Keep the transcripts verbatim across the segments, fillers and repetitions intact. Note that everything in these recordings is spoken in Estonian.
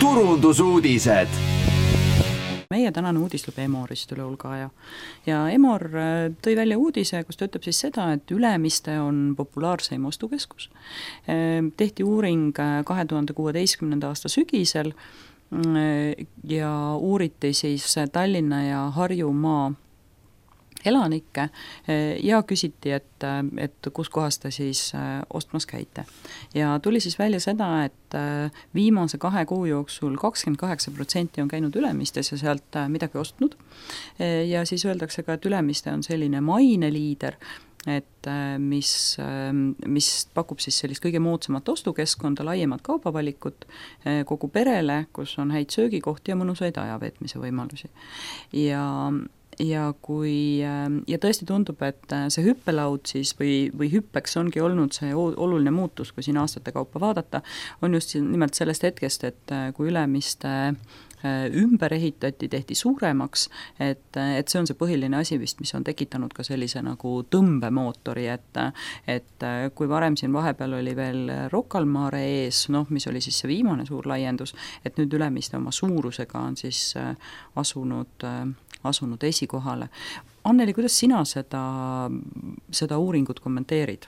turundusuudised. Meie tänane uudistlub Emorist üle hulga aja ja Emor tõi välja uudise, kus ta ütleb siis seda, et Ülemiste on populaarseim ostukeskus. Tehti uuring kahe tuhande kuueteistkümnenda aasta sügisel ja uuriti siis Tallinna ja Harjumaa elanikke ja küsiti, et, et kus kohas te siis ostmas käite. Ja tuli siis välja seda, et viimase kahe kuu jooksul kakskümmend kaheksa protsenti on käinud Ülemistes ja sealt midagi ostnud. Ja siis öeldakse ka, et Ülemiste on selline maineliider, et mis, mis pakub siis sellist kõige moodsamat ostukeskkonda, laiemat kaubavalikut kogu perele, kus on häid söögikohti ja mõnusaid ajaveetmise võimalusi. Ja Ja, kui, ja tõesti tundub, et see hüppelaud siis või, või hüppeks ongi olnud see oluline muutus, kui siin aastate kaupa vaadata, on just nimelt sellest hetkest, et kui Ülemiste ümber ehitati, tehti suuremaks, et, et see on see põhiline asi vist, mis on tekitanud ka sellise nagu tõmbemootori, et, et kui varem siin vahepeal oli veel Rocca al Mare ees, noh, mis oli siis see viimane suur laiendus, et nüüd Ülemiste oma suurusega on siis asunud asunud esikohale. Anneli, kuidas sina seda, seda uuringut kommenteerid?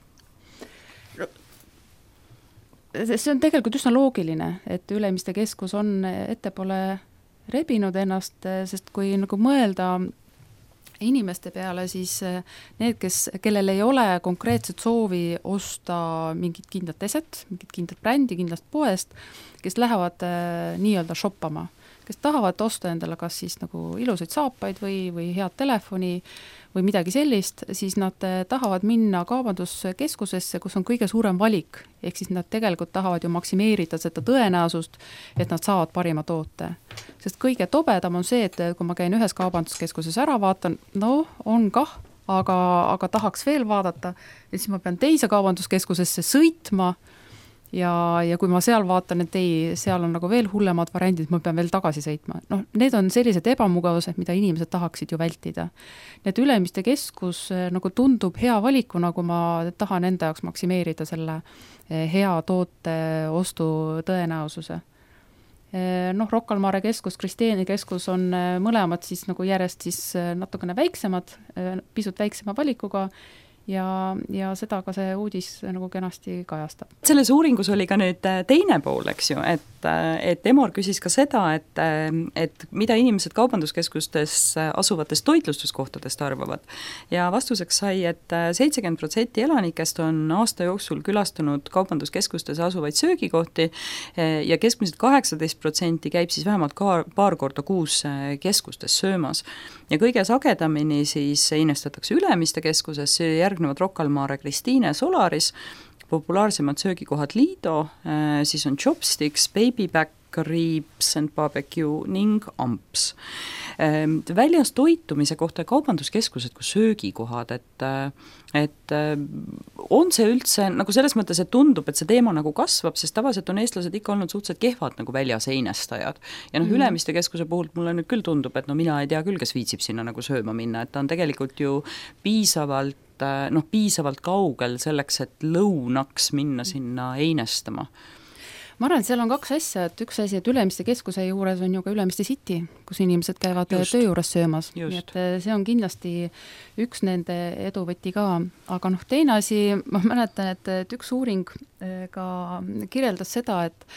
See on tegelikult üsna loogiline, et Ülemiste keskus on ettepoole rebinud ennast, sest kui nagu mõelda inimeste peale, siis need, kes, kellel ei ole konkreetset soovi osta mingit kindlat eset, mingit kindlat brändi, kindlast poest, kes lähevad äh, nii-öelda shoppama, kes tahavad osta endale kas siis nagu ilusaid saapaid või, või head telefoni või midagi sellist, siis nad tahavad minna kaubanduskeskusesse, kus on kõige suurem valik. Ehk siis nad tegelikult tahavad ju maksimeerida seda tõenäosust, et nad saavad parima toote. Sest kõige tobedam on see, et kui ma käin ühes kaubanduskeskuses ära, vaatan, no on kah, aga, aga tahaks veel vaadata, et siis ma pean teise kaubanduskeskusesse sõitma, Ja, ja kui ma seal vaatan, et ei, seal on nagu veel hullemad variandid, ma pean veel tagasi sõitma. Noh, need on sellised ebamugavused, mida inimesed tahaksid ju vältida. Need Ülemiste keskus nagu tundub hea valikuna, kui ma tahan enda jaoks maksimeerida selle hea toote ostu tõenäosuse. Noh, Rocca al Mare keskus, Kristiini keskus on mõlemad siis nagu järjest siis natukene väiksemad, pisut väiksema valikuga, Ja, ja seda ka see uudis nagu kenasti kajastab. Selles uuringus oli ka nüüd teine pool, eks ju, et, et Emor küsis ka seda, et, et mida inimesed kaubanduskeskustes asuvates toitlustuskohtadest arvavad. Ja vastuseks sai, et seitsekümmend protsenti elanikest on aasta jooksul külastanud kaubanduskeskustes asuvaid söögikohti ja keskmiselt kaheksateist protsenti käib siis vähemalt ka paar korda kuus keskustes söömas. Ja kõige sagedamini siis investatakse Ülemiste keskuses, järgnevad Rocca al Mare, Kristiine, Solaris, populaarsemad söögikohad Lido, siis on Chopsticks, Babyback, Ribs and Barbecue ning Amps. Väljas toitumise kohta kaubanduskeskused kui söögikohad, et, et on see üldse, nagu selles mõttes, et tundub, et see teema nagu kasvab, sest tavaliselt on eestlased ikka olnud suhteliselt kehvad nagu väljaseinestajad. Ja noh, mm. Ülemiste keskuse puhul mulle nüüd küll tundub, et no mina ei tea küll, kes viitsib sinna nagu sööma minna, et ta on tegelikult ju piisavalt, noh, piisavalt kaugel selleks, et lõunaks minna sinna einestama. Ma arvan, et seal on kaks asja, et üks asi, et Ülemiste keskuse juures on ju ka Ülemiste City, kus inimesed käivad just töö juures söömas. Nii et see on kindlasti üks nende eduvõti ka. Aga noh, teine asi, ma mäletan, et, et üks uuring ka kirjeldas seda, et,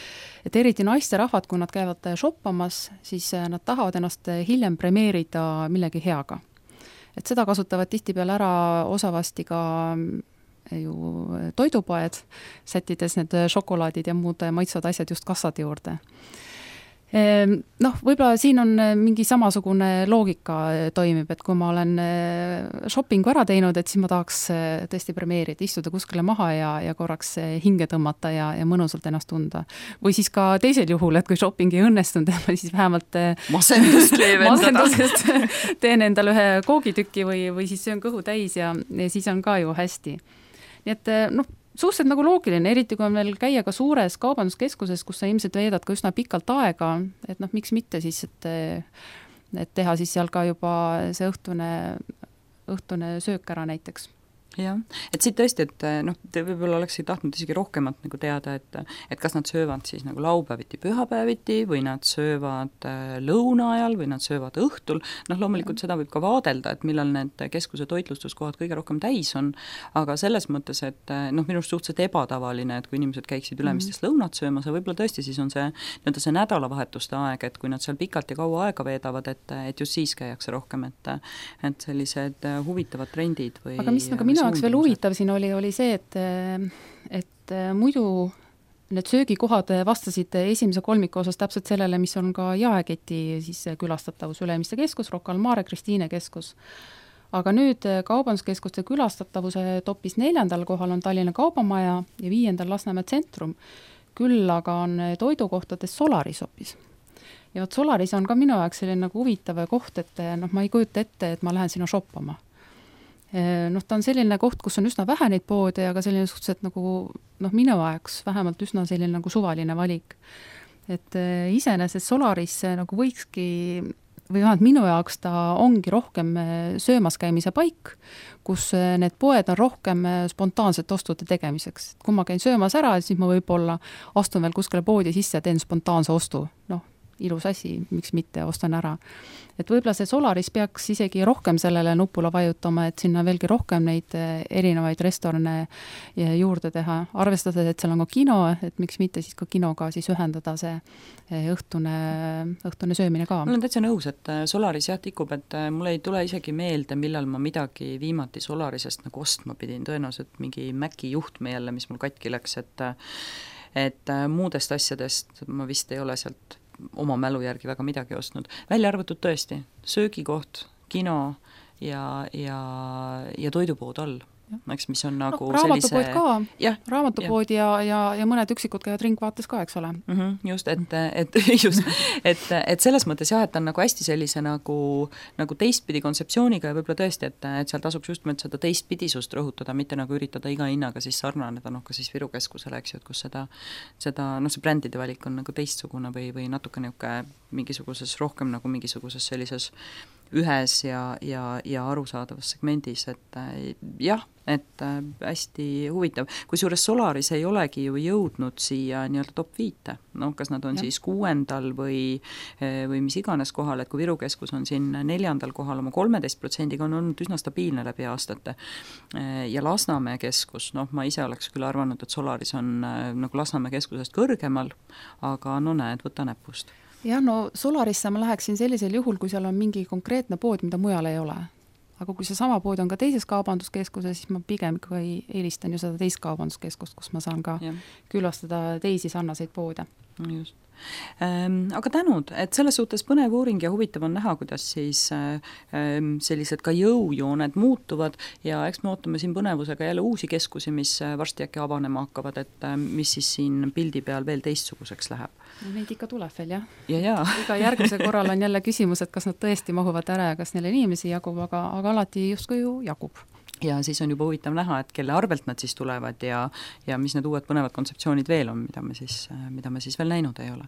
et eriti naisterahvad, kui nad käivad shoppamas, siis nad tahavad ennast hiljem premeerida millegi heaga. Et seda kasutavad tihtipeale ära osavasti ka ju toidupoed, sättides need šokolaadid ja muud maitsvad asjad just kassade juurde. Noh, võib-olla siin on mingi samasugune loogika toimib, et kui ma olen shoppingu ära teinud, et siis ma tahaks tõesti premeerida, istuda kuskile maha ja, ja korraks hinge tõmmata ja, ja mõnusalt ennast tunda. Või siis ka teisel juhul, et kui shopping ei õnnestunud, et ma siis vähemalt masendust leevendada. Masendusest teen endale ühe koogitükki või, või siis söön kõhu täis ja, ja siis on ka ju hästi. Nii et noh, suhteliselt nagu loogiline, eriti kui on veel käia ka suures kaubanduskeskuses, kus sa ilmselt veedad ka üsna pikalt aega, et noh, miks mitte siis, et, et teha siis seal ka juba see õhtune, õhtune söök ära näiteks. jah, et siit tõesti, et noh, te võib-olla oleksid tahtnud isegi rohkemat nagu teada, et et kas nad söövad siis nagu laupäeviti, pühapäeviti või nad söövad lõuna ajal või nad söövad õhtul, noh loomulikult seda võib ka vaadelda, et millal need keskuse toitlustuskohad kõige rohkem täis on, aga selles mõttes, et noh, minu arust suhteliselt ebatavaline, et kui inimesed käiksid Ülemistest mm-hmm. lõunat söömas ja võib-olla tõesti siis on see nii-öelda see nädalavahetuste aeg, et kui nad seal pikalt ja kaua aega veedavad, et, et just siis käiakse rohkem, et et sellised huvitavad trendid või aga mis nagu minu jaoks veel huvitav siin oli, oli see, et, et muidu need söögikohad vastasid esimese kolmiku osas täpselt sellele, mis on ka jaeketi siis külastatavus, Ülemiste keskus, Rocca al Mare, Kristiine keskus. Aga nüüd kaubanduskeskuste külastatavuse topis neljandal kohal on Tallinna Kaubamaja ja viiendal Lasnamäe Tsentrum. Küll aga on toidukohtades Solaris hoopis. Ja võt Solaris on ka minu jaoks selline nagu huvitav koht, et noh, ma ei kujuta ette, et ma lähen sinna shoppama. Noh, ta on selline koht, kus on üsna vähe neid poode, aga selline suhteliselt nagu, noh, minu ajaks vähemalt üsna selline nagu suvaline valik. Et iseenesest Solaris nagu võikski, või vähemalt minu jaoks ta ongi rohkem söömas käimise paik, kus need poed on rohkem spontaanset ostude tegemiseks. Kui ma käin söömas ära, siis ma võib-olla astun veel kuskile poodi sisse ja teen spontaanse ostu. Noh, ilus asi, miks mitte, ostan ära. Et võib-olla see Solaris peaks isegi rohkem sellele nupule vajutama, et sinna veelgi rohkem neid erinevaid restorane juurde teha. Arvestades, et seal on ka kino, et miks mitte siis ka kinoga siis ühendada see õhtune, õhtune söömine ka. Mul on täitsa nõus, et Solaris jah tikub, et mul ei tule isegi meelde, millal ma midagi viimati Solarisest nagu ostma pidin. Tõenäoliselt mingi Maci juhtme jälle, mis mul katki läks, et, et muudest asjadest ma vist ei ole sealt oma mälu järgi väga midagi ostnud. Välja arvatud tõesti, söögikoht, kino ja, ja, ja toidupood all. Eks, mis on nagu no, raamatupood sellise... ka, ja, raamatupood ja, ja, ja mõned üksikud käivad ringvaates ka, eks ole. Mm -hmm, just, et, et, just, et, et selles mõttes jah, et on nagu hästi sellise nagu, nagu teistpidi kontseptsiooniga ja võib-olla tõesti, et, et seal tasuks just mõt seda teistpidisust rõhutada, mitte nagu üritada iga hinnaga siis sarnaneda, noh ka siis Viru keskusele, eks ju, et kus seda, seda noh, see brändide valik on nagu teistsugune või, või natuke niuke mingisuguses rohkem nagu mingisuguses sellises ühes ja, ja, ja arusaadavas segmendis, et jah, et hästi huvitav. Kusjuures Solaris ei olegi ju jõudnud siia nii-öelda top viite, noh, kas nad on ja. siis kuuendal või, või mis iganes kohal, et kui Viru keskus on siin neljandal kohal oma kolmeteist protsendiga on olnud üsna stabiilne läbi aastate. Ja Lasnamäe keskus, noh, ma ise oleks küll arvanud, et Solaris on nagu Lasnamäe keskusest kõrgemal, aga no näed, võta näpust. Jah, no Solarisse ma läheksin sellisel juhul, kui seal on mingi konkreetne pood, mida mujal ei ole. Aga kui see sama pood on ka teises kaubanduskeskuses, siis ma pigem ikkagi eelistan ju seda teist kaubanduskeskust, kus ma saan ka ja. külastada teisi sarnaseid poode. Just. Ähm, aga tänud, et selles suhtes põnev uuring ja huvitav on näha, kuidas siis ähm, sellised ka jõujooned muutuvad ja eks me ootame siin põnevusega jälle uusi keskusi, mis varsti äkki avanema hakkavad, et mis siis siin pildi peal veel teistsuguseks läheb. No, neid ikka tuleb veel, jah. Ja, ja. Iga järgmise korral on jälle küsimus, et kas nad tõesti mahuvad ära ja kas neile inimesi jagub, aga, aga alati justkui ju jagub. Ja siis on juba huvitav näha, et kelle arvelt nad siis tulevad ja, ja mis need uued põnevad kontseptsioonid veel on, mida me siis, mida me siis veel näinud ei ole.